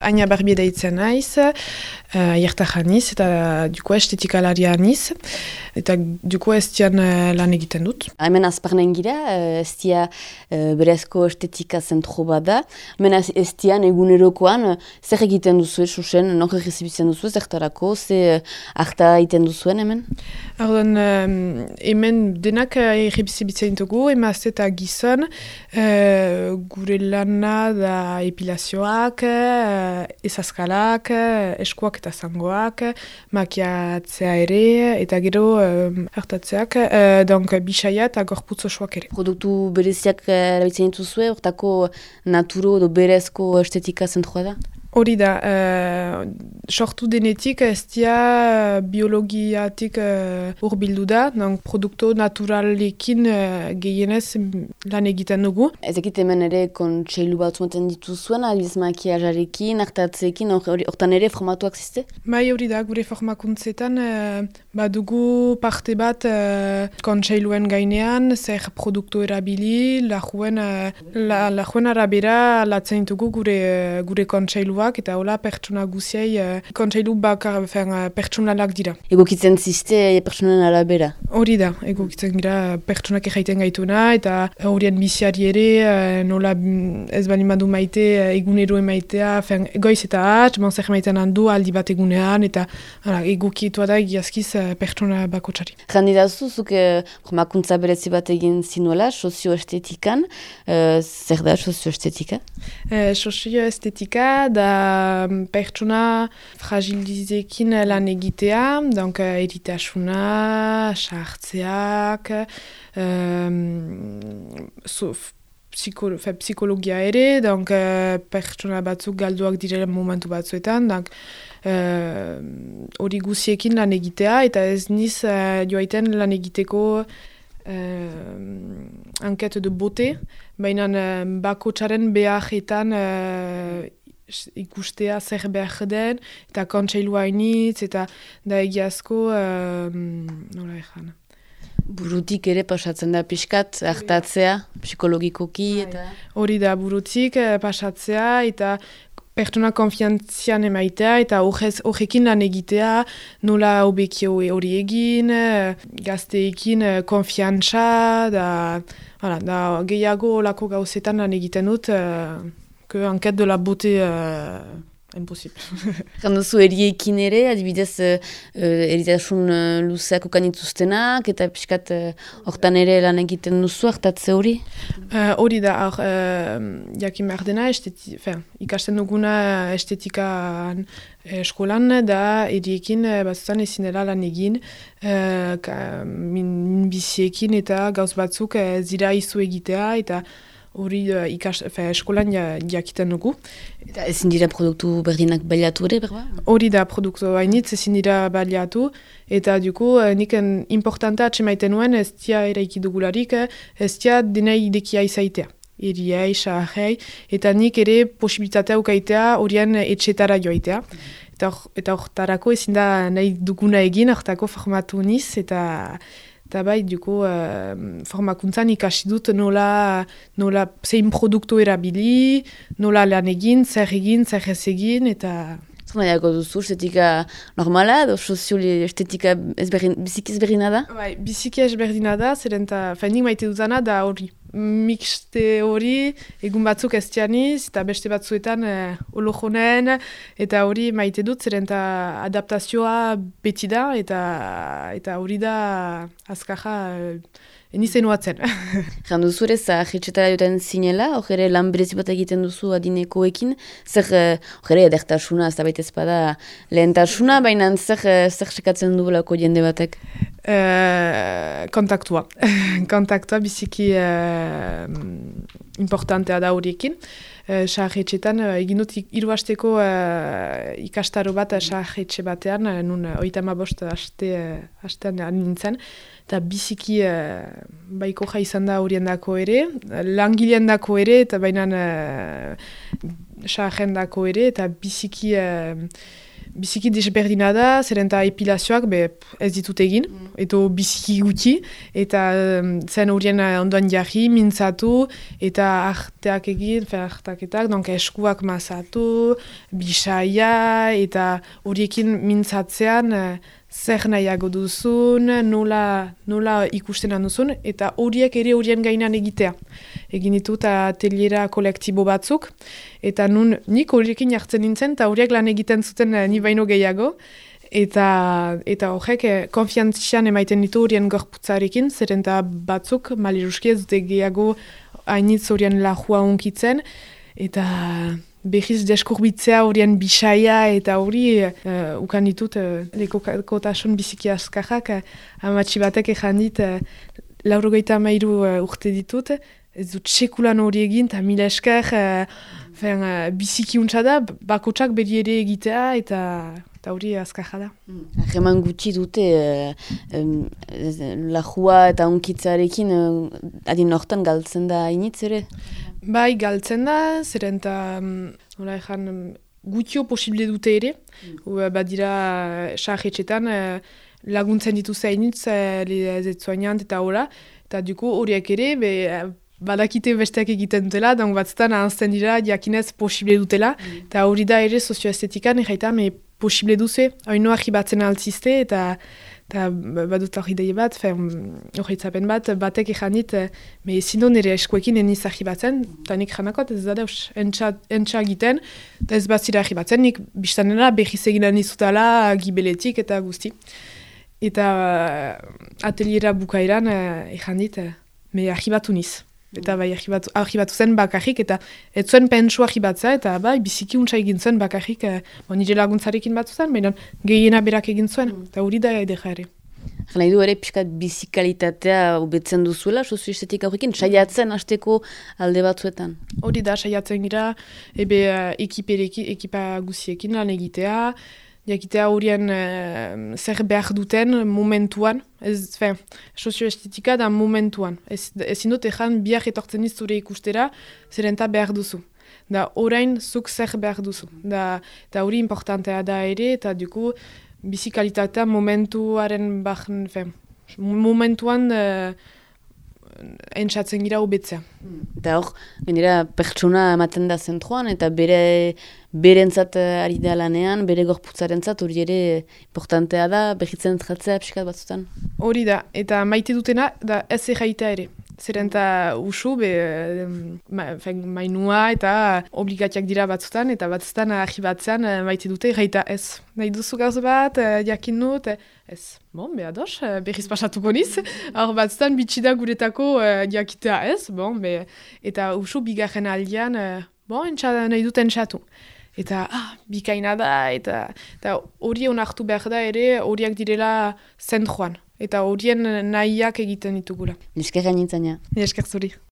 Aina Barbie deitzen naiz, aiertarra niz, eta duko estetikalaria niz, eta duko estian lan egiten dut. Hemen azparnen gira, estia berezko estetika zentro bat da. Hemen estian egunerokoan, zer egiten duzu, susen, nok egizibitzen duzu, zertarako, ze harta egiten duzuen hemen? Ardon, hemen denak egizibitzen dugu, emazte eta gizon, gure lana da epilazioak, ezazkalak, eskuak eta zangoak, makiatzea ere, eta gero hartatzeak, donc bisaia eta gorputz osoak ere. Produktu bereziak erabiltzen dituzue, hortako naturo edo berezko estetika zentroa da? Hori da, sortu denetik ez dia biologiatik hurbildu da, produktu naturalekin gehienez lan egiten dugu. Ez ekit hemen ere kontseilu batzumaten dituzuen, adibidez makiajarekin, hartatzeekin, hortan ere formatuak ziste? Bai, hori da, gure formakuntzetan badugu parte bat kontseiluen gainean, zer produktu erabili, lajuen arabera latzen ditugu gure kontseilu eta hola pertsona guziei kontseilu bakar pertsonalak dira. Egokitzen ziste pertsonan arabera? Hori da, egokitzen gira pertsonak erraiten gaituna eta horien biziari ere nola ez bali madu maite egunero emaitea, goiz eta hatz, zer maiten handu aldi bat egunean eta egokietua da egiazkiz pertsona bakotsari. Jandidazu, zuke formakuntza berezi bat egin zinuela, sozioestetikan, zer da sozioestetika? Sozioestetika da pertsona fragilizekin lan egitea, donc eritasuna, sartzeak, psikologia ere, donc pertsona batzuk galduak direla momentu batzuetan, donc hori guziekin lan egitea, eta ez niz joaiten lan egiteko enquête de beauté, baina bakotsaren beharretan ikustea zer behar den, eta kontseilua hainitz, eta da egiazko, nola ezan. Burutik ere pasatzen da pixkat, hartatzea, psikologikoki, eta... Hori da, burutik pasatzea, eta pertsona konfiantzian emaitea, eta horrekin lan egitea, nola hobekio hori egin, gazteekin konfiantza, da gehiago olako gauzetan lan egiten dut, que enquête de la beauté impossible. Janduzu eriekin ere, adibidez eritasun luzeak ukanituztenak, eta pixkat hortan ere lan egiten duzu, hartatze hori? Hori da, jakin behar dena, ikasten duguna estetikan eskolan, da eriekin batzutan ezin dela lan egin, minbiziekin eta gauz batzuk zira izu egitea, eta hori eskolan jakiten dugu. Eta ezin dira produktu berdinak baliatu ere, berba? Hori da, produktu hainitz ezin dira baliatu, eta duko nik importanta atxemaiten nuen ez dia eraiki dugularik, ez dia dena idekia izaitea. Eriei, saharrei, eta nik ere posibilitatea ukaitea horien etxetara joaitea. Eta hortarako ezin da nahi duguna egin, hortako formatu niz, eta bai, duko, formakuntzan ikasi dut nola zein produktu erabili, nola lan egin, zer ez egin, eta... Zer nahiako duzu, estetika normala, edo sozio-estetika biziki ezberdina da? Bai, biziki ezberdina da, zeren eta nik maite dutana da hori. Mixte hori, egun batzuk ez dianiz, eta beste batzuetan olojonen, eta hori maite dut, zeren eta adaptazioa beti da, eta hori da azkarra enizen oatzen. Janduzu ere, zahetxetara joten zinela, hor ere lan berezi bat egiten duzu adinekoekin, zer ere edertasuna, ez da baita ezpada lehentasuna, baina zer sekatzen duelako jende batek? Kontaktua. Kontaktua biziki importantea da horiekin. Sahetxetan, egin dut 3 hasteko ikastaro bat sahetxe batean, nun 35 hastean nintzen, eta biziki baiko izan da horiendako ere, langileendako ere, eta baina sahendako ere, eta biziki biziki desberdina da, zeren eta epilazioak ez ditut egin, edo biziki gutxi, eta zen horien ondoan jarri, mintzatu, eta arteak egin, artaketak, donk eskuak mazatu, bisaia, eta horiekin mintzatzean zer nahiago duzun, nola ikusten duzun, eta horiek ere horien gainan egitea. Egin ditut ateliera kolektibo batzuk, eta nik horiekin jartzen nintzen, eta horiek lan egiten zuten ni baino gehiago, eta horrek konfiantzian emaiten ditu horien gorputzarekin, zeren eta batzuk maliruski ez dute gehiago hainitz horien lajua unkitzen, eta behiz deskurbitzea horien bisaia eta hori ukan ditut lekotasun biziki askarrak amatxi batek ezan dit 93 urte ditut, ez dut sekulan hori egin eta mila esker biziki untsa da, bakotsak beri ere egitea eta hori askarra da. Heman gutxi dute lajua eta unkitzarekin adin hortan galtzen da hainitz ere? Bai, galtzen da, zeren eta gutxio posible dute ere. Badira sarretxetan laguntzen dituzte hainitz zetzoainant eta hola. Eta duko horiek ere, badakite besteak egiten dutela, donk batzutan ahazten dira jakinez posible dutela. Eta hori da ere sozioestetikan erraita, posible duze, haino argibatzen altzizte, eta badut hori daie bat, horretzapen bat, batek ezan dit, ezin do nire eskuekin eniz argibatzen, eta nik janakot ez da deus, entxa egiten, eta ez bat zira argibatzen, nik biztanera behiz eginan izutala, gibeletik eta guzti. Eta ateliera bukaeran ezan dit, argibatu niz. Eta bai, argibatu zen bakarrik, eta ez zuen pentsu argibatza, eta bai, biziki untsa egin zuen bakarrik, nire laguntzarekin batzu zen, baina gehiena berak egin zuen, eta hori da edera ere. Nahi du ere, pixkat bizikalitatea hobetzen duzuela, sozioestetik horrekin, saiatzen hasteko alde batzuetan? Hori da, saiatzen gira, ekipa guziekin lan egitea, jakitea horien zer behar duten momentuan, sozioestetika da momentuan. Ezin dut ezan biak etortzen zure ikustera, zerenta behar duzu. Da orain zuk zer behar duzu. Da hori importantea da ere, eta duku bizikalitatea momentuaren momentuan entzatzen gira hobetzea. Eta hor, gainera pertsona ematen da zentroan, eta berentzat ari da lanean, bere gorputzarentzat hori ere importantea da, behitzen tratzea pixkat batzutan. Hori da, eta maite dutena, da ez erraita ere. Zeren eta usu, mainua eta obligatiak dira batzutan, eta batzutan argibatzean maite dute erraita ez. Nahi duzu gauz bat, jakin dut, ez. Bon, ados, behiz pasatuko niz. Hor batzutan bitxida guretako jakitea ez, eta usu bigarren aldian, nahi dut entxatu. Eta bikaina da, eta hori onartu behar da ere, horiak direla zentroan. Eta horien nahiak egiten ditugula. Nesker gainintzaina. Nesker zuri.